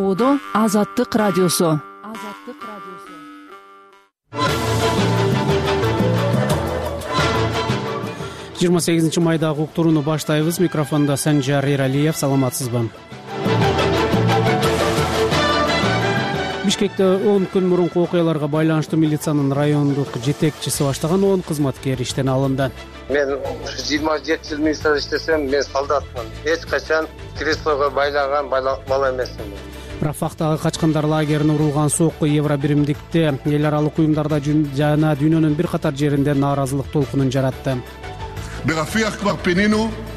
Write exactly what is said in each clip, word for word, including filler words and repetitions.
ободо Азаттык радиосу. жыйырма сегизинчи майдагы уктурууну баштайбыз. Микрофондо Санжар Эралиев. Саламатсызбы? Бишкекте он күн мурунку окуяларга байланыштуу милициянын райондук жетекчиси баштаган он кызматкер иштен алынды. Мен жыйырма жети жыл милицияда иштесем, мен солдатмын. Эч качан креслого байлаган бала эмесмин. Рафактагы качкандар лагерине урулган сокку евро биримдикте эл аралык уюмдарда жана дүйнөнүн бир катар жеринде нааразылык толкунун жаратты.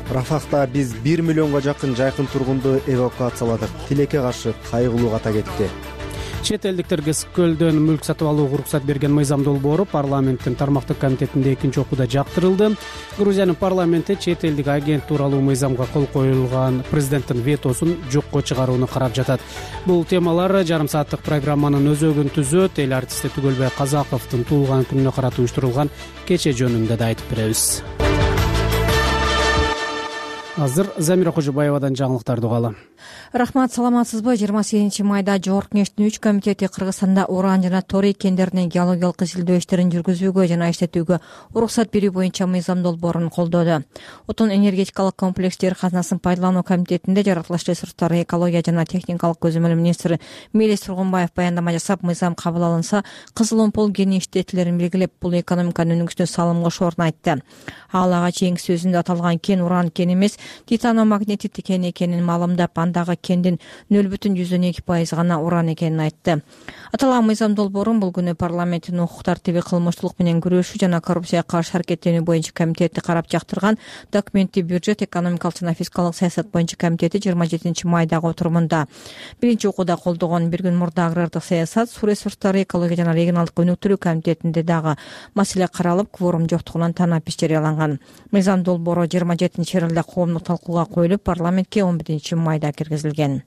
Рафакта биз бир миллионго жакын жайкын тургунду эвакуацияладык. Тилекке каршы кайгылуу ката кетти. Чет элдиктерге Көлдөн мүлк сатып алууга уруксат берген мыйзам долбоору парламенттин тармактык комитетинде экинчи окууда жактырылды. Грузиянын парламенти чет элдик агент тууралуу мыйзамга кол коюлган президенттин ветосун жокко чыгарууну карап жатат. Бул темалар жарым сааттык программанын өзөгүн түзөт. Эл артисти Түгөлбай Казаковдун туулган күнүнө карата уюштурулган кече жөнүндө да айтып беребиз. Азыр Замира Кожобаевадан жаңылыктарды угалы. Рахмат, саламатсызбы? жыйырма сегизинчи майда Жогорку Кеңештин үч комитети Кыргызстанда уран жана торий кендеринин геологиялык изилдөө иштерин жүргүзүүгө жана иштетүүгө уруксат берүү боюнча мыйзам долбоорун колдоду. Отун энергетикалык комплекс жер казынасын пайдалануу комитетинде жаратылыш ресурстары, экология жана техникалык көзөмөл министри Мелис Тургунбаев баяндама жасап, мыйзам кабыл алынса, кызыл омпол кени иштетүүлөрүн белгилеп, бул экономиканын өнүгүшүнө салым кошоорун айтты. Ал ага чейинки сөзүндө аталган кен уран кен эмес, титаномагнетит кен экенин маалымдап, андагы кендин нөл бүтүн жүздөн эки пайыз гана уран экенин айтты. Аталган мыйзам долбоорун бул күнү парламенттин укук тартиби, кылмыштуулук менен күрөшүү жана коррупцияга каршы аракеттенүү боюнча комитети карап жактырган. Документти бюджет, экономикалык жана фискалдык саясат боюнча комитети жыйырма жетинчи майдагы отурумунда биринчи окууда колдогон. Бир күн мурда агрардык саясат, суу ресурстары, экология жана регионалдык өнүктүрүү комитетинде дагы маселе каралып, кворум жоктугунан танапис жарыяланган. Мыйзам долбоору жыйырма жетинчи июлда коомдук талкууга коюлуп, парламентке он биринчи майда киргизилген.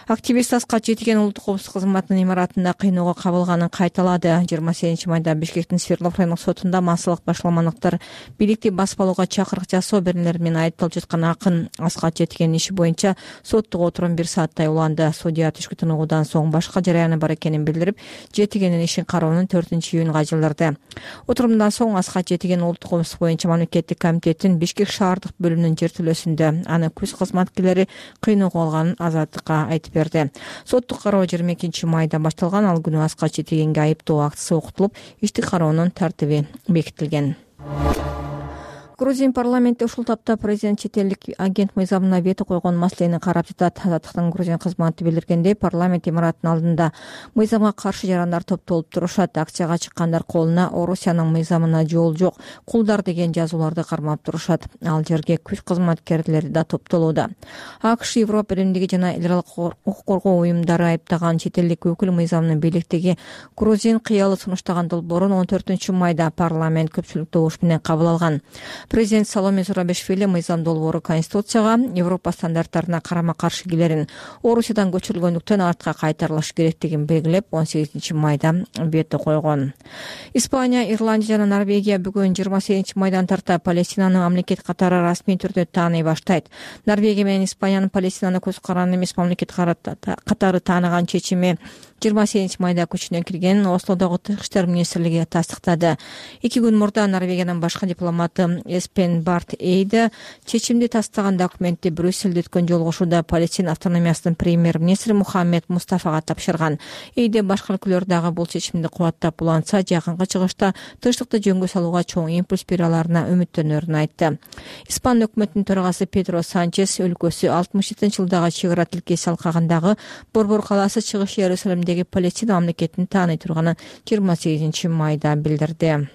Активист Аскат Жетиген улуттук коопсуздук кызматынын имаратында кыйноого кабылганын кайталады. жыйырма сегизинчи майда Бишкектин Свердлов райондук сотунда массалык башаламандыктар бийликти басып-алууга чакырык жасоо берүүлөр менен айыпталып жаткан акын Аскат Жетигендин иши боюнча соттук отурум бир сааттай уланды. Судья түшкү тыныгуудан соң башка жараяны бар экенин билдирип, Жетигендин ишин кароонун төртүнчү июнга жылдырды. Отурумдан соң Аскат Жетиген улуттук коопсуздук боюнча мамлекеттик комитеттин Бишкек шаардык бөлүмүнүн жертөлөсүндө аны күз кызматкерлери кыйноого алганын Азаттыкка айтып берди. Соттук кароо жыйырма экинчи майда башталган. Ал күнү Аскат Жетигенге айыптоо актысы окутулуп, иштик кароонун тартиби бекитилген. Грузин парламенти ушул тапта президент чет элдик агент мыйзамына вето койгон маселени карап жатат. Азаттыктын Грузин кызматы билдиргендей, парламент имараттын алдында мыйзамга каршы жарандар топтолуп турушат. Акцияга чыккандар колуна Орусиянын мыйзамына жол жок, кулдар деген жазууларды кармап турушат. Ал жерге күч кызматкерлери да топтолууда. АКШ, Европа биримдиги жана эл аралык укук коргоо уюмдары айыптаган чет элдик өкүл мыйзамдын бийликтеги грузин кыялы сунуштаган долбоорун он төртүнчү майда парламент көпчүлүк добуш менен кабыл алган. Президент Саломе Зурабишвили мыйзам долбоору Конституцияга, Европа стандарттарына карама-каршы келерин, Орусиядан көчүрүлгөндүктөн артка кайтарылышы керектигин белгилеп, он сегизинчи майда вето койгон. Испания, Ирландия жана Норвегия бүгүн жыйырма сегизинчи майдан тарта Палестинаны мамлекет катары расмий түрдө тааный баштайт. Норвегия менен Испаниянын Палестинаны көз каранды эмес мамлекет катары тааныган чечими жыйырма сегизинчи майда күчүнө кирген. Ослодогу Тышкы иштер министрлиги тастыктады. Эки күн мурда Норвегиянын башкы дипломаты Эспен Барт Эйде чечимди тастаган документти Брюсселде өткөн жолугушууда Палестина автономиясынын премьер-министри Мухаммед Мустафага тапшырган. Эйде башка өлкөлөр дагы бул чечимди кубаттап уланса, жакынкы чыгышта тынчтыкты жөнгө салууга чоң импульс бере аларына үмүттөнөрүн айтты. Испан өкмөтүнүн төрагасы Педро Санчес өлкөсү алтымыш жетинчи жылдагы чыгара тилкеси алкагындагы Борбор калаасы чыгыш Иерусалимдеги Палестина мамлекетин тааный турганын жыйырма сегизинчи майда билдирди.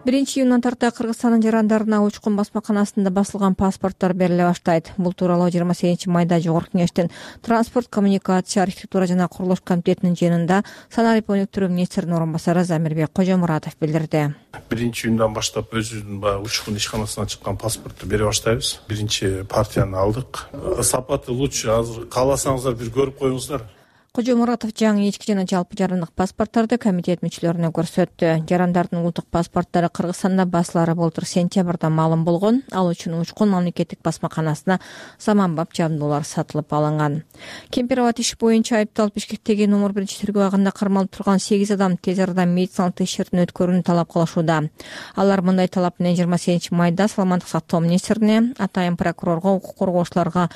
биринчи июндан тарта Кыргызстандын жарандарына учкун басмаканасында басылган паспорттор бериле баштайт. Бул тууралуу жыйырма сегизинчи майда Жогорку Кеңештин транспорт, коммуникация, архитектура жана курулуш комитетинин жыйынында санарип өнүктүрүү министринин орун басары Замирбек Кожомуратов билдирди. биринчи июндан баштап өзүбүздүн баягы учкун ишканасынан чыккан паспортту бере баштайбыз. Биринчи партияны алдык. Сапаты лучше. Азыр кааласаңыздар бир көрүп коюңуздар. Кожомуратов жаңы ички жана жалпы жарандык паспорттарды комитет мүчөлөрүнө көрсөттү. Жарандардын улуттук паспорттары Кыргызстанда басылары былтыр сентябрда маалым болгон. Ал үчүн Учкун мамлекеттик басмаканасына заманбап жабдуулар сатылып алынган. Кемпироват иш боюнча айыпталып Бишкектеги номер биринчи тергөө абагында кармалып турган сегиз адам тез арада медициналык текшерүүдөн өткөрүүнү талап кылышууда. Алар мындай талап менен жыйырма сегизинчи майда Саламаттык сактоо министрине, атайын прокурорго, укук коргоочуларга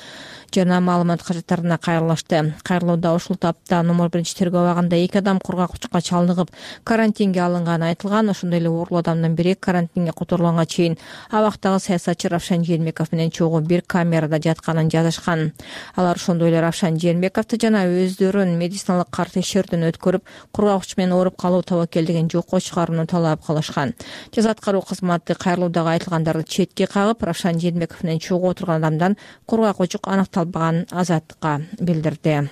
жана маалымат кажеттарына кайрылышты. Кайрылууда ушул тапта номер биринчи тергөө абагында эки адам кургак учукка чалдыгып карантинге алынганы айтылган. Ошондой эле ооруул адамдын бири карантинге которулганга чейин абактагы саясатчы Равшан Жээнбеков менен чогуу бир камерада жатканын жазышкан. Алар ошондой эле Равшан Жээнбековду жана өздөрүн медициналык кар текшерүүдөн өткөрүп, кургак уч менен ооруп калуу тобокелдигин жокко чыгарууну талап кылышкан. Жаза аткаруу кызматы кайрылуудагы айтылгандарды четке кагып, Равшан Жээнбеков менен чогуу отурган адамдан кургак учук аныкталбаганын Азаттыкка билдирди.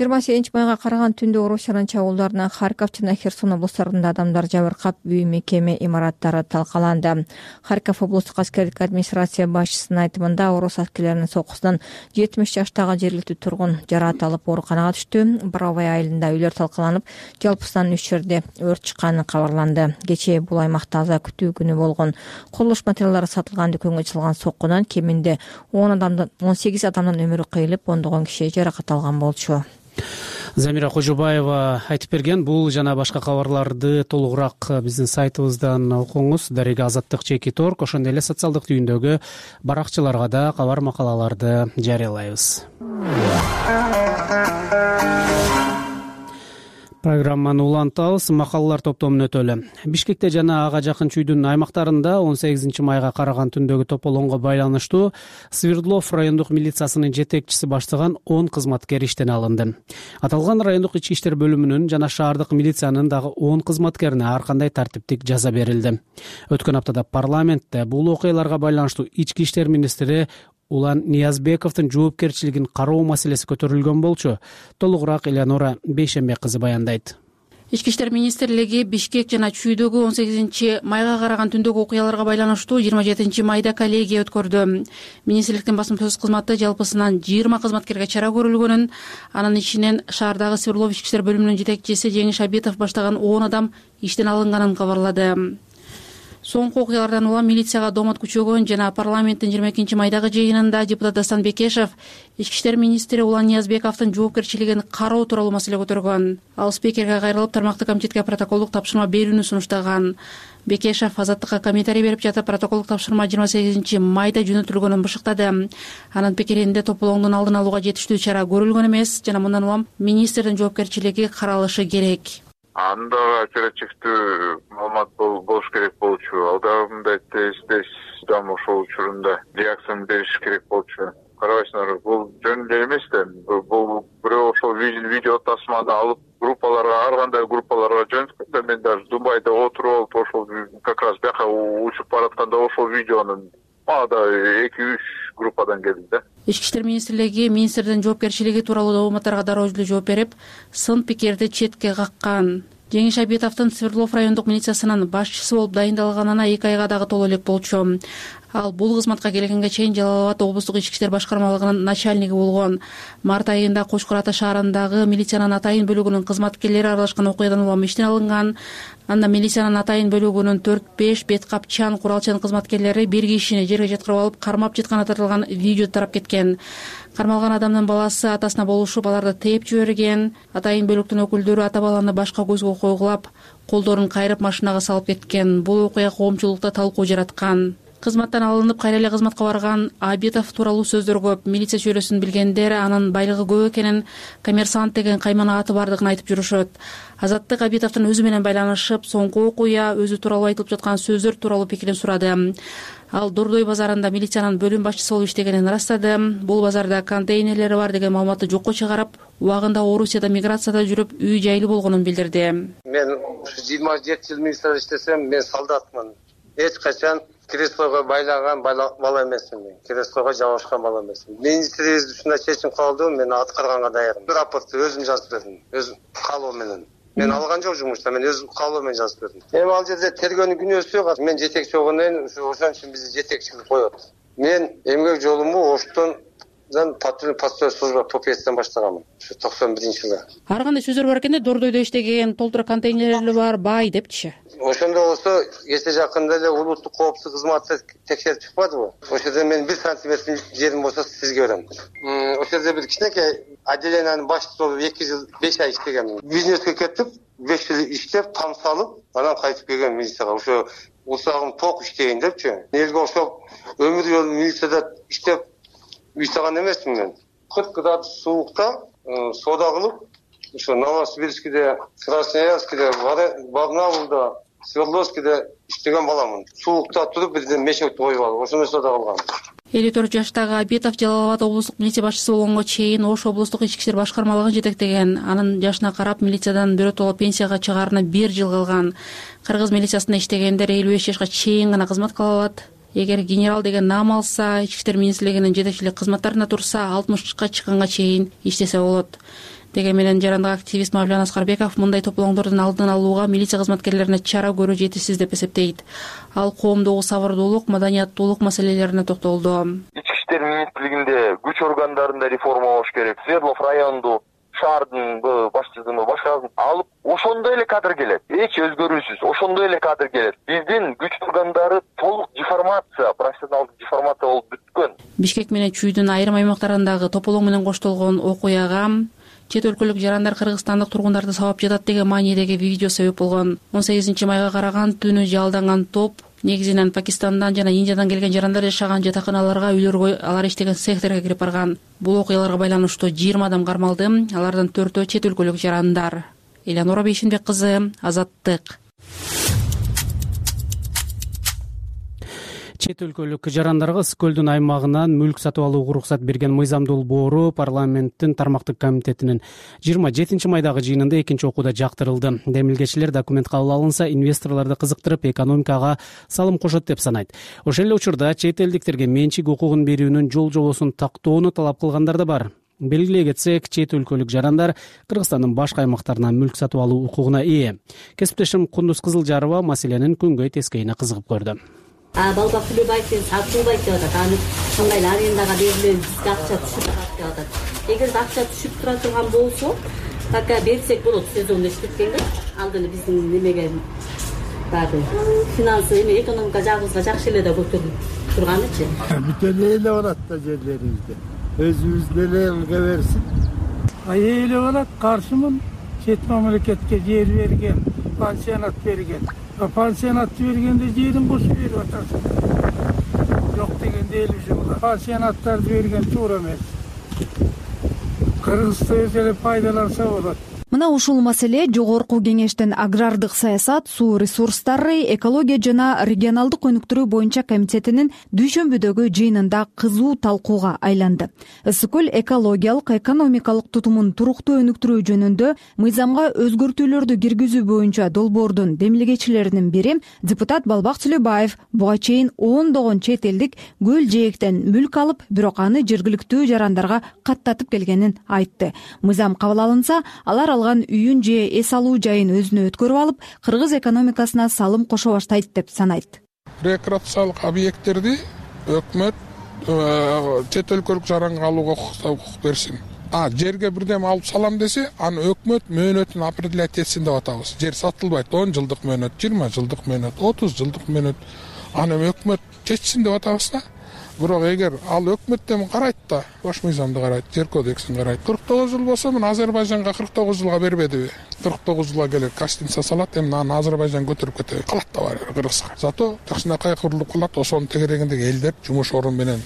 жыйырма сегизинчи майга караган түндө Орусиянын чабуулдарынан Харьков жана Херсон облустарында адамдар жабыркап, үй мекеме имараттары талкаланды. Харьков облустук аскердик администрация башчысынын айтымында орус аскерлеринин сокусунан жетимиш жаштагы жергиликтүү тургун жараат алып ооруканага түштү. Боровой айылында үйлөр талкаланып, жалпысынан үч жерде өрт чыкканы кабарланды. Кечээ бул аймакта аза күтүү күнү болгон. Курулуш материалдары сатылган дүкөнгө чалган соккунан кеминде он адамдан он сегиз адамдын өмүрү кыйылып, ондогон киши жаракат алган болчу. Замира Кожобаева айтып берген. Бул жана башка кабарларды толугураак биздин сайтыбыздан окуңуз. Дарега Азаттык чеки торг, ошондой эле социалдык түйүндөгү баракчаларга да кабар макалаларды жарыялайбыз. Программаны улантабыз. Макалалар топтомун өтөлү. Бишкекте жана ага жакын чүйдүн аймактарында он сегизинчи майга караган түндөгү тополоңго байланыштуу Свердлов райондук милициясынын жетекчиси баштаган он кызматкер иштен алынды. Аталган райондук ички иштер бөлүмүнүн жана шаардык милициянын дагы он кызматкерине ар кандай тартиптик жаза берилди. Өткөн аптада парламентте бул окуяларга байланыштуу ички иштер министри Улан Ниязбековдун жоопкерчилигин кароо маселеси көтөрүлгөн болчу. Толугураак Элеонора Бейшембек кызы баяндайт. Ички иштер министрлиги Бишкек жана чүйдөгү он сегизинчи майга караган түндөгү окуяларга байланыштуу жыйырма жетинчи майда коллегия өткөрдү. Министрликтин басым сөз кызматы жалпысынан жыйырма кызматкерге чара көрүлгөнүн, анын ичинен шаардагы Свердлов ички иштер бөлүмүнүн жетекчиси Жеңиш Абитов баштаган он адам иштен алынганын кабарлады. Соңку окуялардан улам милицияга домот күчөгөн жана парламенттин жыйырма экинчи майдагы жыйынында депутат Дастан Бекешев ички иштер министри Улан Ниязбековдун жоопкерчилигин кароо тууралуу маселе көтөргөн. Ал спикерге кайрылып, тармактык комитетке протоколдук тапшырма берүүнү сунуштаган. Бекешев Азаттыкка комментарий берип жатып, протоколдук тапшырма жыйырма сегизинчи майда жөнөтүлгөнүн бышыктады. Анын пикиринде тополоңдун алдын алууга жетиштүү чара көрүлгөн эмес жана мындан улам министрдин жоопкерчилиги каралышы керек. Анда оперативдүү маалымат болуш керек болчу. Алда мындай тез-тез дам ошол учурунда реакцияны бериш керек болчу. Карабайсыңар, бул жөн эле эмес да. Бул бирөө ошол видео тасманы алып группаларга, ар кандай группаларга жөнөткөн да. Мен даже Дубайда отуруп алып, ошол как раз бияка учуп баратканда ошол видеонун мага эки үч группадан келди да. Ички иштер министрлиги министрдин жоопкерчилиги тууралуу дооматтарга дароо эле жооп берип, сын пикирди четке каккан. Жеңиш Абитовдун Свердлов райондук милициясынын башчысы болуп дайындалганына эки айга дагы толо элек болчу. Ал бул кызматка келгенге чейин Жалал Абад облустук ички иштер башкармалыгынын начальниги болгон. Март айында Кочкор Ата шаарындагы милициянын атайын бөлүгүнүн кызматкерлери аралашкан окуядан улам иштен алынган. Анда милициянын атайын бөлүгүнүн төрт беш бет капчан, куралчан кызматкерлери бир кишини жерге жаткырып алып, кармап жатканы тартылган видео тарап кеткен. Кармалган адамдын баласы атасына болушуп, аларды тээп жиберген. Атайын бөлүктүн өкүлдөрү ата баланы башка көзгө койгулап, колдорун кайрып машинага салып кеткен. Бул окуя коомчулукта талкуу жараткан. Кызматтан алынып, кайра эле кызматка барган Абитов тууралуу сөздөр көп. Милиция чөйрөсүн билгендер анын байлыгы көп экенин, коммерсант деген каймана аты бардыгын айтып жүрүшөт. Азаттык Абитовдун өзү менен байланышып, соңку окуя, өзү тууралуу айтылып жаткан сөздөр тууралуу пикирин сурады. Ал Дордой базарында милициянын бөлүм башчысы болуп иштегенин ырастады. Бул базарда контейнерлери бар деген маалыматты жокко чыгарып, убагында Орусияда миграцияда жүрүп, үй жайлы болгонун билдирди. Мен жыйырма жети жыл милицияда иштесем, мен солдатмын. Эч качан креслого байлаган бала эмесмин. Креслого жабышкан бала эмесмин. Министрибиз ушундай чечим кабылды, мен аткарганга даярмын. Рапортты өзүм жазып бердим, өзүм калоо менен. Мен алган жок жумушта, мен өзүм калоо менен жазып бердим. Эми ал жерде тергөөнүн күнөөсү жок. Мен жетекчи болгондон кийин ошон үчүн бизди жетекчи кылып коет. Мен эмгек жолуму оштон патрульный постовой служба попецтен баштаганмын ушу токсон биринчи жылы. Ар кандай сөздөр бар экен да, Дордойдо иштеген, толтура контейнерлери бар, бай депчи. Ошондо болсо эсте жакында эле улуттук коопсуздук кызматы текшерип чыкпадыбы? Ошол жерде мен бир сантиметр жерим болсо сизге берем. Ошол жерде бир кичинекей отделениянын башчысы болуп эки жыл беш ай иштегенмин. Бизнеске кетип, беш жыл иштеп, там салып, анан кайтып келген милицияга. Ошо усагым ток иштейин депчи. Элге ошол өмүр жолу милицияда иштеп уйсаган эмесмин мен. кырк градус суукта соода кылып, ошо Новосибирскиде, Красноярскиде, Барнаулда, Свердловскиде иштеген баламын. Суукта туруп бирден мешет коюп алып, ошондой соода кылгам. элүү төрт жаштагы Абитов Жалал Абад облустук милиция башчысы болгонго чейин Ош облустук ички иштер башкармалыгын жетектеген. Анын жашына карап милициядан биротоло пенсияга чыгаарына бир жыл калган. Кыргыз милициясында иштегендер элүү беш жашка чейин гана кызмат кыла алат. Эгер генерал деген наам алса, ички иштер министрлигинин жетекчилик кызматтарында турса, алтымышка чыкканга чейин иштесе болот. Деген менен жарандык активист Мавлан Аскарбеков мындай тополоңдордун алдын алууга милиция кызматкерлерине чара көрүү жетишсиз деп эсептейт. Ал коомдогу сабырдуулук, маданияттуулук маселелерине токтолду. Ички иштер министрлигинде күч органдарында реформа болуш керек. Свердлов районду шаардын башчысын башкасын алып, ошондой эле кадр келет. Эч өзгөрүүсүз, ошондой эле кадр келет. Биздин күч органдары толук деформация, профессионалдык деформация болуп бүткөн. Бишкек менен Чүйдүн айрым аймактарындагы тополоң менен коштолгон окуяга чет өлкөлүк жарандар кыргызстандык тургундарды сабап жатат деген маанидеги видео себеп болгон. он сегизинчи майга караган түнү жалданган топ негизинен Пакистандан жана Индиядан келген жарандар жашаган жатаканаларга, үйлөргө, алар иштеген цехтерге кирип барган. Бул окуяларга байланыштуу жыйырма адам кармалды. Алардан төртөө чет өлкөлүк жарандар. Элянора Бейшенбек кызы, Азаттык. Чет өлкөлүк жарандарга Ысык көлдүн аймагынан мүлк сатып алууга уруксат берген мыйзам долбоору парламенттин тармактык комитетинин жыйырма жетинчи майдагы жыйынында экинчи окууда жактырылды. Демилгечилер документ кабыл алынса, инвесторлорду кызыктырып, экономикага салым кошот деп санайт. Ошол эле учурда чет элдиктерге менчик укугун берүүнүн жол жобосун тактоону талап кылгандар да бар. Белгилей кетсек, чет өлкөлүк жарандар Кыргызстандын башка аймактарынан мүлк сатып алуу укугуна ээ. Кесиптешим Кундуз Кызылжарова маселенин күнгөй тескейине кызыгып көрдү. А балба төлөбайт деп сатылбайт деп атат. Аны кандай арендага берилет, бизге акча түшүп турат деп атат. Эгер акча түшүп тура турган болсо, пока берсек болот, сезонда иштеткенге. Ал деле биздин немеге барды. Финансы, эме экономика жагыбызга жакшы эле да көтөрүлүп турганычы. Бүт эле эле барат да жерлерибизде. Өзүбүз деле элге берсин. Ай эле барат, каршымын. Чет мамлекетке жер берген, пансионат берген. Пансионатты бергенде жерин кошуп берип атасың. Жок дегенде элүү жыл. Пансионаттарды берген туура эмес. Кыргызстан өз эле пайдаланса болот. Мына ушул маселе жогорку кеңештин агрардык саясат, суу ресурстары, экология жана регионалдык өнүктүрүү боюнча комитетинин дүйшөмбүдөгү жыйынында кызуу талкууга айланды. Ысык көл экологиялык, экономикалык тутумун туруктуу өнүктүрүү жөнүндө мыйзамга өзгөртүүлөрдү киргизүү боюнча долбоордун демилгечилеринин бири депутат Балбак Сүлөбаев буга чейин ондогон чет элдик көл жээктен мүлк алып, бирок аны жергиликтүү жарандарга каттатып келгенин айтты. Мыйзам кабыл алынса, алар үйүн же эс алуу жайын өзүнө өткөрүп алып, кыргыз экономикасына салым кошо баштайт деп санайт. Рекреациялык объекттерди өкмөт чет өлкөлүк жаранга алууга укук берсин. А жерге бирдем алып салам десе, аны өкмөт мөөнөтүн определять этсин деп атабыз. Жер сатылбайт, он жылдык мөөнөт, жыйырма жылдык мөөнөт, отуз жылдык мөөнөт. Аны өкмөт чечсин деп атабыз да. Бирок эгер ал өкмөттөн карайт да, баш мыйзамды карайт, жер кодексин карайт. кырк тогуз жыл болсо, мен Азербайжанга кырк тогуз жылга бербедиби? кырк тогуз жылга келет, Гостиница салат, эми аны Азербайжан көтөрүп кетет. Калат да бар Кыргызга. Зато жакшынакай курулуп калат, ошонун тегерегиндеги элдер жумуш орун менен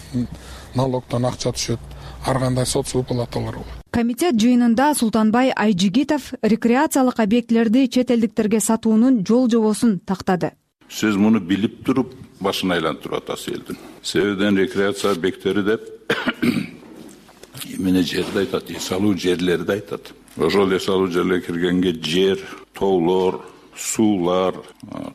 налогдон акча түшөт. Ар кандай соц выплаталар болот. Комитет жыйынында Султанбай Айжигитов рекреациялык объектлерди чет элдиктерге сатуунун жол жобосун тактады. Сиз муну билип туруп башын айлантырып атасыз элдин. Себебден рекреация объекттери деп эмне жерди айтат, эс алуу жерлерди айтат. Ошол эс алуу жерлерге киргенге жер, тоолор, суулар,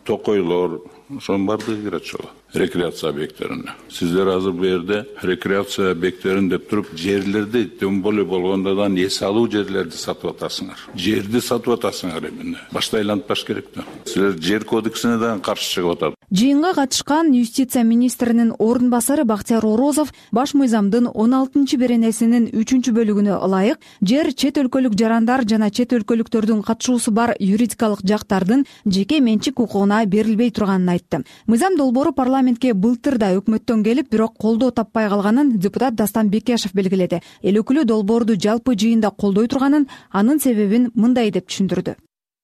токойлор, ошонун баардыгы кирет ошол рекреация объекттерине. Сиздер азыр бу жерде рекреация объекттерин деп туруп жерлерди, тем более болгондо да эс алуу жерлерди сатып атасыңар. Жерди сатып атасыңар эмне? Башта айлантпаш керек да. Силер жер кодексине да каршы чыгып атат. Жыйынга катышкан юстиция министринин орун басары Бактияр Орозов баш мыйзамдын он алтынчы беренесинин үчүнчү бөлүгүнө ылайык жер чет өлкөлүк жарандар жана чет өлкөлүктөрдүн катышуусу бар юридикалык жактардын жеке менчик укугуна берилбей турганын айтты. Мыйзам долбоору парламентке былтыр да өкмөттөн келип, бирок колдоо таппай калганын депутат Дастан Бекешев белгиледи. Эл өкүлү долбоорду жалпы жыйында колдой турганын, анын себебин мындай деп түшүндүрдү.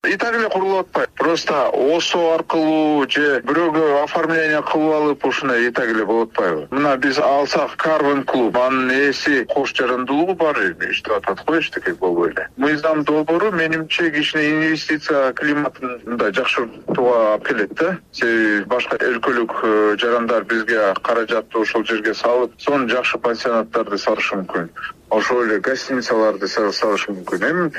И так эле курулуп атпайбы. Просто ОСО аркылуу же бирөөгө оформление кылып алып ушундай и так эле болуп атпайбы. Мына биз алсак Карвин клуб, анын ээси кош жарандуулугу бар иштеп атат го, эчтеке болбой эле. Мыйзам долбоору менимче кичине инвестиция климатын мындай жакшыртууга алып келет да. Себеби башка өлкөлүк жарандар бизге каражатты ошол жерге салып, сонун жакшы пансионаттарды салышы мүмкүн. Ошол эле гостиницаларды салышы мүмкүн. Эми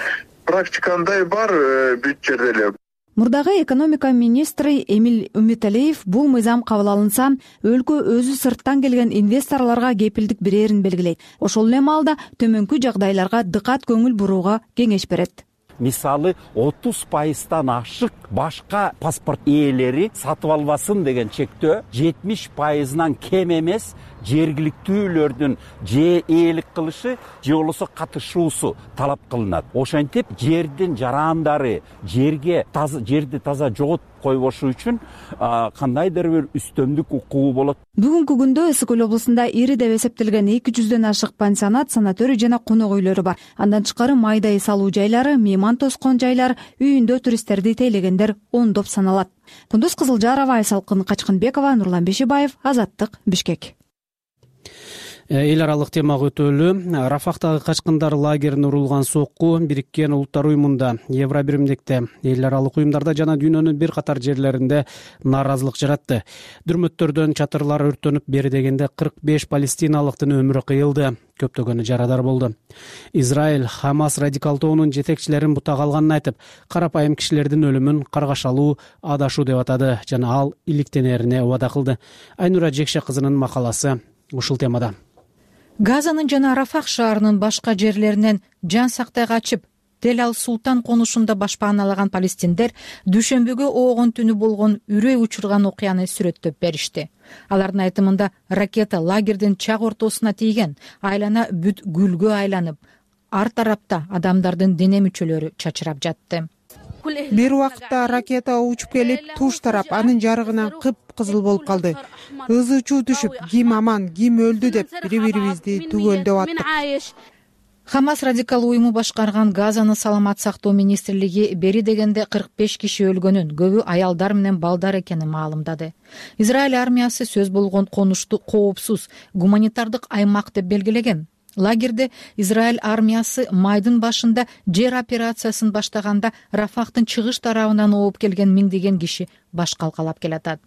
практика андай бар бүт жерде эле. Мурдагы экономика министри Эмиль Үмүталиев бул мыйзам кабыл алынса, өлкө өзү сырттан келген инвесторлорго кепилдик берерин белгилейт. Ошол эле маалда төмөнкү жагдайларга дыкат көңүл бурууга кеңеш берет. Мисалы отуз пайыздан ашык башка паспорт ээлери сатып албасын деген чектөө жетимиш пайызынан кем эмес жергиликтүүлөрдүн же ээлик кылышы же болбосо катышуусу талап кылынат. Ошентип жердин жарандары жерге таза жерди таза жоготуп койбошу үчүн кандайдыр бир үстөмдүк укугу болот. Бүгүнкү күндө Ысык Көл облусунда ири деп эсептелген эки жүздөн ашык пансионат, санаторий жана конок үйлөрү бар. Андан тышкары майдай салуу жайлары, мейман тоскон жайлар, үйүндө туристтерди тейлегендер ондоп саналат. Кундуз Кызылжарова, Айсалкын Качкынбекова, Нурлан Бешибаев, Азаттык, Бишкек. Эл аралык темага өтөлү. Рафахтагы качкындар лагерине урулган сокку Бириккен Улуттар уюмунда, Евробиримдикте, эл аралык уюмдарда жана дүйнөнүн бир катар жерлеринде нааразылык жаратты. Дүрмөттөрдөн чатырлар өртөнүп, бери дегенде кырк беш палестиналыктын өмүрү кыйылды. Көптөгөнү жарадар болду. Израиль Хамас радикал тобунун жетекчилерин бутак алганын айтып, карапайым кишилердин өлүмүн каргашалуу, адашуу деп атады жана ал иликтенерине убада кылды. Айнура Жекше кызынын макаласы ушул темада. Газанын жана Рафах шаарынын башка жерлеринен жан сактай качып, Тель Ал-Султан конушунда башпааналаган палестиндер дүйшөмбүгө оогон түнү болгон үрөй учурган окуяны сүрөттөп беришти. Алардын айтымында ракета лагердин чак ортосуна тийген, айлана бүт гүлгө айланып, ар тарапта адамдардын дене мүчөлөрү чачырап жатты. Бир убакта ракета учуп келип, туш тарап анын жарыгынан кып-кызыл болуп калды. Ызы чуу түшүп, ким аман, ким өлдү деп бири-бирибизди түгөлдөп аттык. Хамас радикал уюму башкарган Газаны саламат сактоо министрлиги бери дегенде кырк беш киши өлгөнүн, көбү аялдар менен балдар экенин маалымдады. Израиль армиясы сөз болгон конушту коопсуз гуманитардык аймак деп белгилеген. Лагерде Израиль армиясы майдын башында жер операциясын баштаганда Рафахтын чыгыш тарабынан ооп келген миңдеген киши баш калкалап келатат.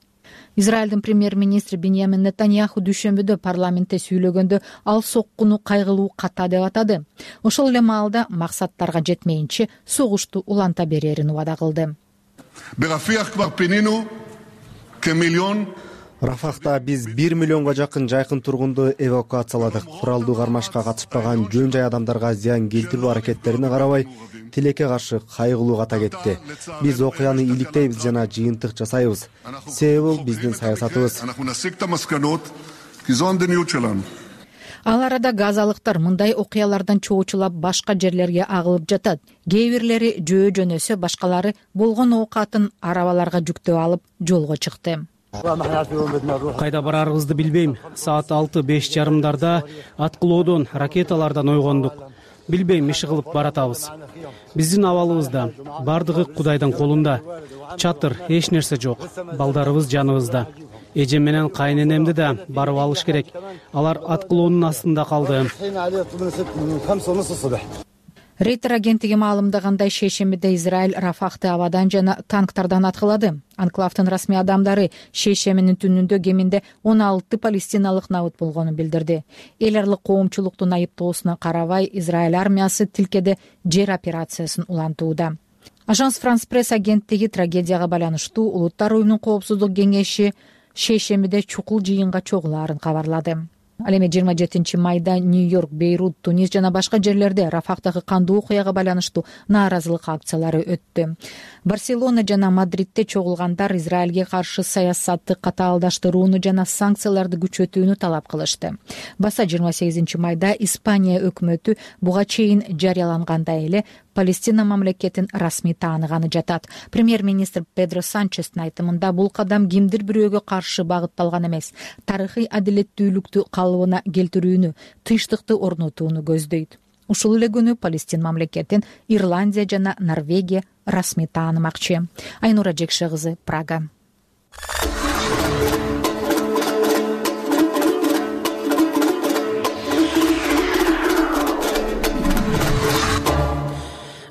Израилдин премьер-министри Биньямин Нетаньяху дүйшөмбүдө парламентте сүйлөгөндө ал соккуну кайгылуу ката деп атады. Ошол эле маалда максаттарга жетмейинче согушту уланта берерин убада кылды. Рафахта биз бир миллионго жакын жайкын тургунду эвакуацияладык. Куралдуу кармашка катышпаган жөн жай адамдарга зыян келтирүү аракеттерине карабай, тилекке каршы кайгылуу ката кетти. Биз окуяны иликтейбиз жана жыйынтык жасайбыз. Себеби бул биздин саясатыбыз. Ал арада газалыктар мындай окуялардан чоочулап башка жерлерге агылып жатат. Кээ бирлери жөө жөнөсө, башкалары болгон оокатын арабаларга жүктөп алып жолго чыкты. Кайда барарыбызды билбейм. Саат алты беш жарымдарда аткылоодон, ракеталардан ойгондук. Билбейм, иши кылып баратабыз. Биздин абалыбызда, бардыгы Кудайдын колунда. Чатыр, эч нерсе жок. Балдарыбыз жаныбызда. Эжем менен кайненемди да барып алыш керек. Алар аткылоонун астында калды. Рейтер агенттиги маалымдагандай, шейшембиде Израиль Рафахты абадан жана танктардан аткылады. Анклавдын расмий адамдары шейшембинин түнүндө кеминде он алты палестиналык набыт болгонун билдирди. Эл аралык коомчулуктун айыптоосуна карабай, Израиль армиясы тилкеде жер операциясын улантууда. Ажанс Франс пресс агенттиги трагедияга байланыштуу Улуттар уюмунун коопсуздук кеңеши шейшембиде чукул жыйынга чогулаарын кабарлады. Ал эми жыйырма жетинчи майда Нью-Йорк, Бейрут, Тунис жана башка жерлерде Рафахтагы кандуу окуяга байланыштуу нааразылык акциялары өттү. Барселона жана Мадридде чогулгандар Израилге каршы саясатты катаалдаштырууну жана санкцияларды күчөтүүнү талап кылышты. Баса жыйырма сегизинчи майда Испания өкмөтү буга чейин жарыялангандай эле Палестина мамлекетин расмий тааныганы жатат. Премьер-министр Педро Санчестин айтымында бул кадам кимдир бирөөгө каршы багытталган эмес, тарыхый адилеттүүлүктү калыбына келтирүүнү, тынчтыкты орнотууну көздөйт. Ушул эле күнү Палестин мамлекетин Ирландия жана Норвегия расмий таанымакчы. Айнура Жекше кызы, Прага.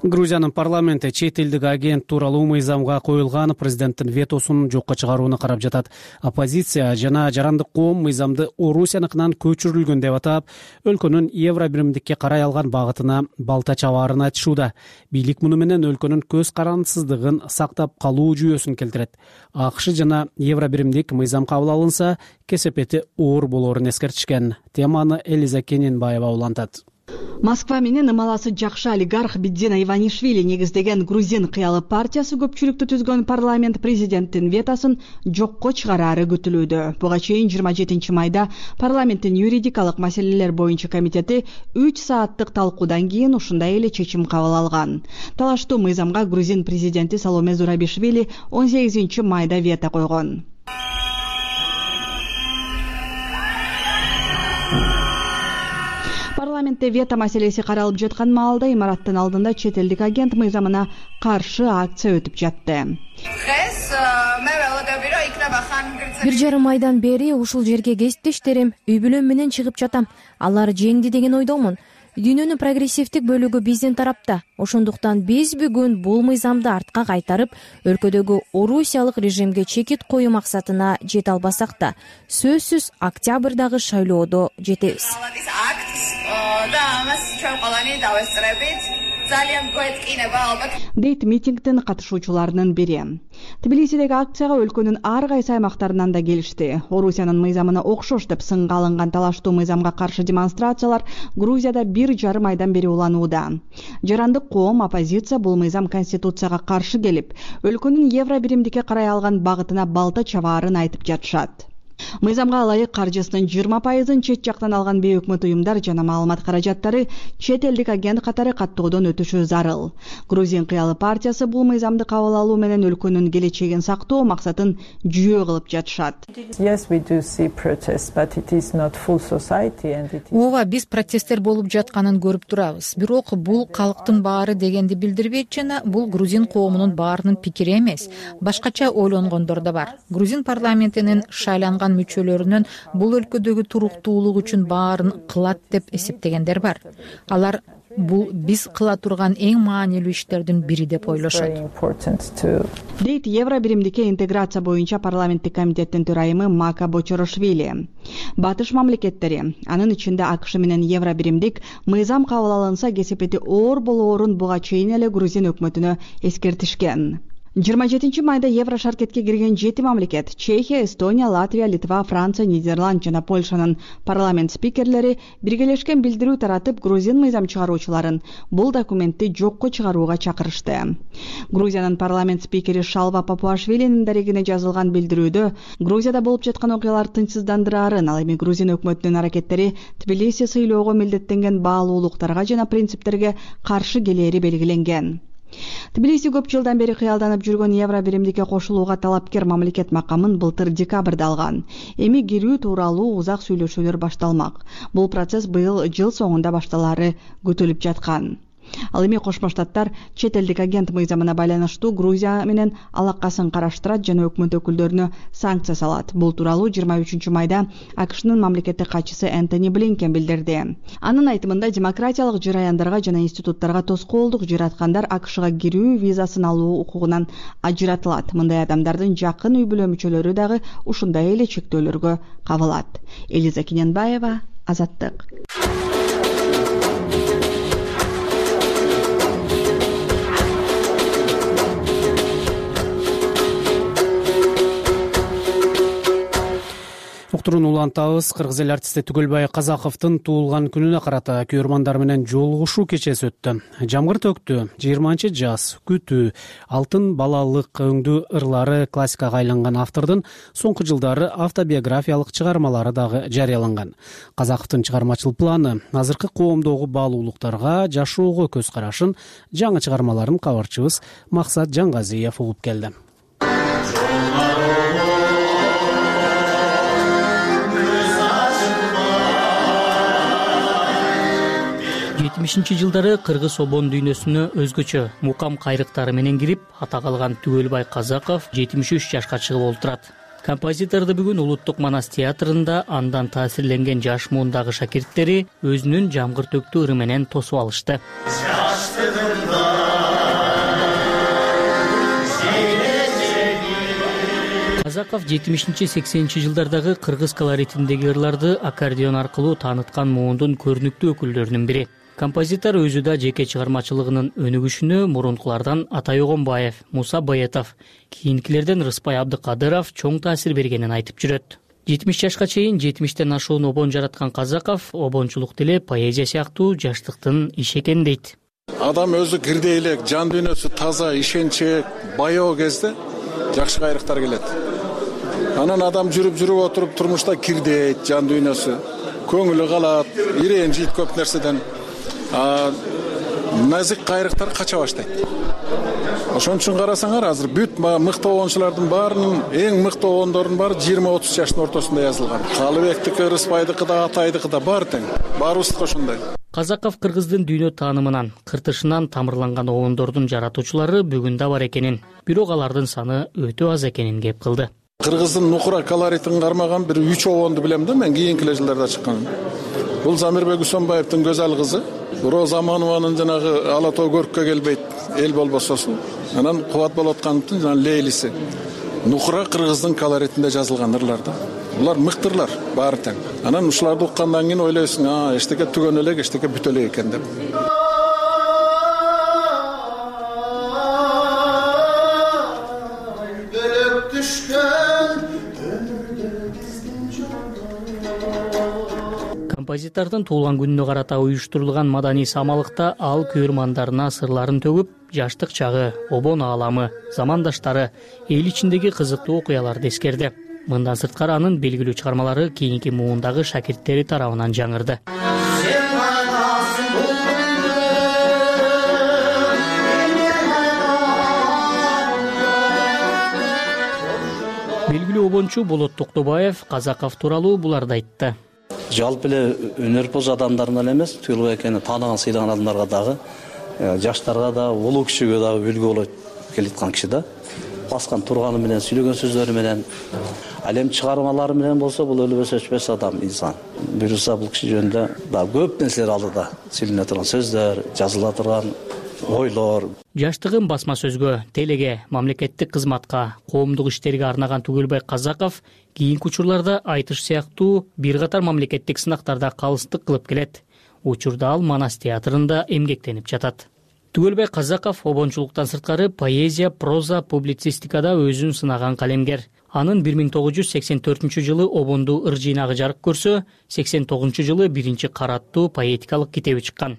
Грузиянын парламенти чет элдик агент тууралуу мыйзамга коюлган президенттин ветосун жокко чыгарууну карап жатат. Оппозиция жана жарандык коом мыйзамды Орусияныкынан көчүрүлгөн деп атап, өлкөнүн евро биримдикке карай алган багытына балта чабаарын айтышууда. Бийлик муну менен өлкөнүн көз карандысыздыгын сактап калуу жүйөсүн келтирет. АКШ жана евро биримдик мыйзам кабыл алынса, кесепети оор болоорун эскертишкен. Теманы Элиза Кененбаева улантат. Москва менен ымаласы жакшы олигарх Бидзина Иванишвили негиздеген грузин кыялы партиясы көпчүлүктү түзгөн парламент президенттин ветосын жокко чыгарары күтүлүүдө. Буга чейин жыйырма жетинчи майда парламенттин юридикалык маселелер боюнча комитети үч сааттык талкуудан кийин ушундай эле чечим кабыл алган. Талаштуу мыйзамга грузин президенти Саломе Зурабишвили он сегизинчи майда вето койгон. Парламентте вето маселеси каралып жаткан маалда имараттын алдында чет элдик агент мыйзамына каршы акция өтүп жатты. Бир жарым айдан бери ушул жерге кесиптештерим, үй бүлөм менен чыгып жатам. Алар жеңди деген ойдомун. Дүйнөнүн прогрессивдик бөлүгү биздин тарапта. Ошондуктан биз бүгүн бул мыйзамды артка кайтарып, өлкөдөгү орусиялык режимге чекит коюу максатына жете албасак да, сөзсүз октябрдагы шайлоодо жетебиз. Дейт митингдин катышуучуларынын бири. Тбилисидеги акцияга өлкөнүн ар кайсы аймактарынан да келишти. Орусиянын мыйзамына окшош деп сынга алынган талаштуу мыйзамга каршы демонстрациялар Грузияда бир жарым айдан бери уланууда. Жарандык коом, оппозиция бул мыйзам конституцияга каршы келип, өлкөнүн евро биримдикке карай алган багытына балта чабаарын айтып жатышат. Мыйзамга ылайык каржысынын жыйырма пайызын чет жактан алган бейөкмөт уюмдар жана маалымат каражаттары чет элдик агент катары каттоодон өтүшү зарыл. Грузин кыялы партиясы бул мыйзамды кабыл алуу менен өлкөнүн келечегин сактоо максатын жүйө кылып жатышат. Ооба, биз протесттер болуп жатканын көрүп турабыз. Бирок бул калктын баары дегенди билдирбейт жана бул грузин коомунун баарынын пикири эмес. Башкача ойлонгондор да бар. Грузин парламентинин шайланган мүчөлөрүнөн бул өлкөдөгү туруктуулук үчүн баарын кылат деп эсептегендер бар. Алар бул биз кыла турган эң маанилүү иштердин бири деп ойлошот. Дейт евро биримдикке интеграция боюнча парламенттик комитеттин төрайымы Мака Бочорошвили. Батыш мамлекеттери, анын ичинде АКШ менен евро биримдик мыйзам кабыл алынса кесепети оор болоорун буга чейин эле грузин өкмөтүнө эскертишкен. жыйырма жетинчи майда евро шаркетке кирген жети мамлекет — Чехия, Эстония, Латвия, Литва, Франция, Нидерланд жана Польшанын парламент спикерлери биргелешкен билдирүү таратып, грузин мыйзам чыгаруучуларын бул документти жокко чыгарууга чакырышты. Грузиянын парламент спикери Шалва Папуашвилинин дарегине жазылган билдирүүдө Грузияда болуп жаткан окуялар тынчсыздандыраарын, ал эми грузин өкмөтүнүн аракеттери Тбилиси сыйлоого милдеттенген баалуулуктарга жана принциптерге каршы келери белгиленген. Тбилиси көп жылдан бери кыялданып жүргөн евро биримдикке кошулууга талапкер мамлекет макамын былтыр декабрда алган. Эми кирүү тууралуу узак сүйлөшүүлөр башталмак. Бул процесс быйыл жыл соңунда башталары күтүлүп жаткан. Ал эми Кошмо Штаттар чет элдик агент мыйзамына байланыштуу Грузия менен алакасын караштырат жана өкмөт өкүлдөрүнө санкция салат. Бул тууралуу жыйырма үчүнчү майда АКШнын мамлекеттик катчысы Энтони Блинкен билдирди. Анын айтымында демократиялык жараяндарга жана институттарга тоскоолдук жараткандар АКШга кирүү визасын алуу укугунан ажыратылат. Мындай адамдардын жакын үй бүлө мүчөлөрү дагы ушундай эле чектөөлөргө кабылат. Элиза Кененбаева, Азаттык. отурууну улантабыз. Кыргыз эл артисти Түгөлбай Казаковдун туулган күнүнө карата күйөрмандар менен жолугушуу кечеси өттү. Жамгыр төктү, жыйырманчы жаз, күтүү, алтын балалык өңдүү ырлары классикага айланган автордун соңку жылдары автобиографиялык чыгармалары дагы жарыяланган. Казаковдун чыгармачыл планы, азыркы коомдогу баалуулуктарга, жашоого көз карашын, жаңы чыгармаларын кабарчыбыз Максат Жангазиев угуп келди. жетимишинчи жылдары кыргыз обон дүйнөсүнө өзгөчө мукам кайрыктары менен кирип, ата калган Түгөлбай Казаков жетимиш үч жашка чыгып олтурат. Композиторду бүгүн Улуттук Манас театрында андан таасирленген жаш муундагы шакирттери өзүнүн жамгыр төктүү ыры менен тосуп алышты. Казаков жетимишинчи сексенинчи жылдардагы кыргыз колоритиндеги ырларды аккордеон аркылуу тааныткан муундун көрүнүктүү өкүлдөрүнүн бири. Композитор өзү да жеке чыгармачылыгынын өнүгүшүнө мурункулардан Атай Огонбаев, Муса Баятов, кийинкилерден Рыспай Абдыкадыров чоң таасир бергенин айтып жүрөт. жетимиш жашка чейин жетимиштен ашуун обон жараткан Казаков обончулук деле поэзия сыяктуу жаштыктын иши экен дейт. Адам өзү кирдей элек, жан дүйнөсү таза, ишенчээк, баяу кезде жакшы кайрыктар келет. Анан адам жүрүп жүрүп отуруп турмушта кирдейт, жан дүйнөсү, көңүлү калат, иренжийт көп нерседен. Назик кайрыктар кача баштайт. Ошон үчүн карасаңар, азыр бүт мыкты обончулардын баарынын эң мыкты обондордун баары жыйырма отуз жаштын ортосунда жазылган. Калыбектики, Рыспайдыкы да, Атайдыкы да бар тең. Баарыбыздыкы ошондой. Казаков кыргыздын дүйнө таанымынан, кыртышынан тамырланган обондордун жаратуучулары бүгүн да бар экенин, бирок алардын саны өтө аз экенин кеп кылды. Кыргыздын нукура колоритин кармаган бир үч обонду билем да, мен кийинки жылдарда чыккан. Бул Замирбек Усонбаевдин Көзал кызы, Роза Аманованын жанагы Ала тоо көрккө келбейт, эл болбососу. Анан Кубат болуп аткандын жана Лейлиси. Нукура кыргыздын колоритинде жазылган ырлар да. Булар мыктырлар, баары тең. Анан ушуларды уккандан кийин ойлойсуң, а, эчтеке түгөн элек, эчтеке бүтө элек экен деп. Композитордун туулган күнүнө карата уюштурулган маданий самалыкта ал күйөрмандарына сырларын төгүп, жаштык чагы, обон ааламы, замандаштары, эл ичиндеги кызыктуу окуяларды эскерди. Мындан сырткары анын белгилүү чыгармалары кийинки муундагы шакирттери тарабынан жаңырды. Белгилүү обончу Болот Токтобаев Казаков тууралуу буларды айтты. Жалпы эле өнөрпоз адамдарына эле эмес, Түгөлбай экени тааныган, сыйлаган адамдарга дагы, жаштарга да, улуу кишиге дагы үлгү болот келаткан киши да. Баскан турганы менен, сүйлөгөн сөздөрү менен, ал эми чыгармалары менен болсо, бул өлбөс өчпөс адам, инсан. Буюрса бул киши жөнүндө дагы көп нерселер алдыда сүйлөнө турган сөздөр, жазыла турган ойлор. Жаштыгын басма сөзгө, телеге, мамлекеттик кызматка, коомдук иштерге арнаган Түгөлбай Казаков кийинки учурларда айтыш сыяктуу бир катар мамлекеттик сынактарда калыстык кылып келет. Учурда ал Манас театрында эмгектенип жатат. Түгөлбай Казаков обончулуктан сырткары поэзия, проза, публицистикада өзүн сынаган калемгер. Анын бир миң тогуз жүз сексен төртүнчү жылы обондуу ыр жыйнагы жарык көрсө, сексен тогузунчу жылы биринчи караттуу поэтикалык китеби чыккан.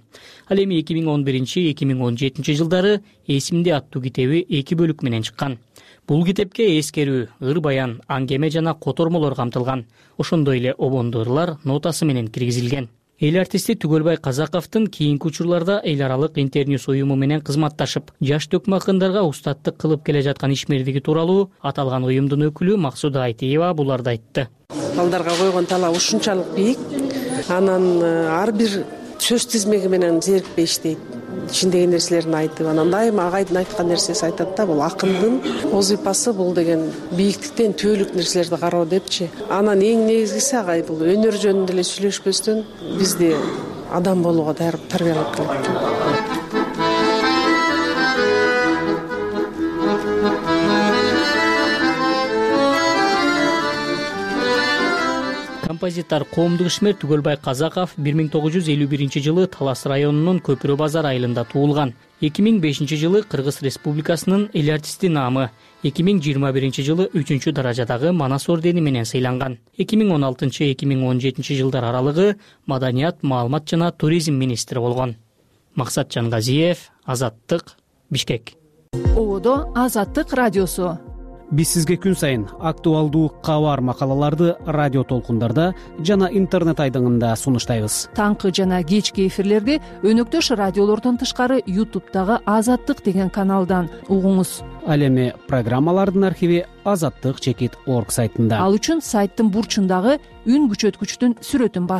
Ал эми эки миң он биринчи — эки миң он жетинчи жылдары Эсимде аттуу китеби эки бөлүк менен чыккан. Бул китепке эскерүү, ыр баян, аңгеме жана котормолор камтылган. Ошондой эле обондуу ырлар нотасы менен киргизилген. Эл артисти Түгөлбай Казаковдун кийинки учурларда эл аралык Интерньюс уюму менен кызматташып, жаш төкмө акындарга устаттык кылып келе жаткан ишмердиги тууралуу аталган уюмдун өкүлү Максуда Айтиева буларды айтты. Балдарга койгон талап ушунчалык бийик. Анан ар бир сөз тизмеги менен зерикпей иштейт. Ичиндеги нерселерин айтып, анан дайыма агайдын айткан нерсеси айтат да, бул акындын вазыйпасы, бул деген бийиктиктен төөлүк нерселерди кароо депчи. Анан эң негизгиси агай бул өнөр жөнүндө эле сүйлөшпөстөн бизди адам болууга тарбиялап келет. Композитор, коомдук ишмер Түгөлбай Казаков бир миң тогуз жүз элүү биринчи жылы Талас районунун Көпүрө базар айылында туулган. эки миң бешинчи жылы Кыргыз Республикасынын эл артисти наамы, эки миң жыйырма биринчи жылы үчүнчү даражадагы Манас ордени менен сыйланган. эки миң он алтынчы эки миң он жетинчи жылдар аралыгы маданият, маалымат жана туризм министри болгон. Максат Жангазиев, Азаттык, Бишкек. Ободо Азаттык радиосу. Биз сизге күн сайын актуалдуу кабар макалаларды радио толкундарда жана интернет айдыңында сунуштайбыз. Таңкы жана кечки эфирлерди өнөктөш радиолордон тышкары ютубтагы Азаттык деген каналдан угуңуз. Ал эми программалардын архиви азаттык чекит орг сайтында. Ал үчүн сайттын бурчундагы үн күчөткүчтүн сүрөтүн басыңыз.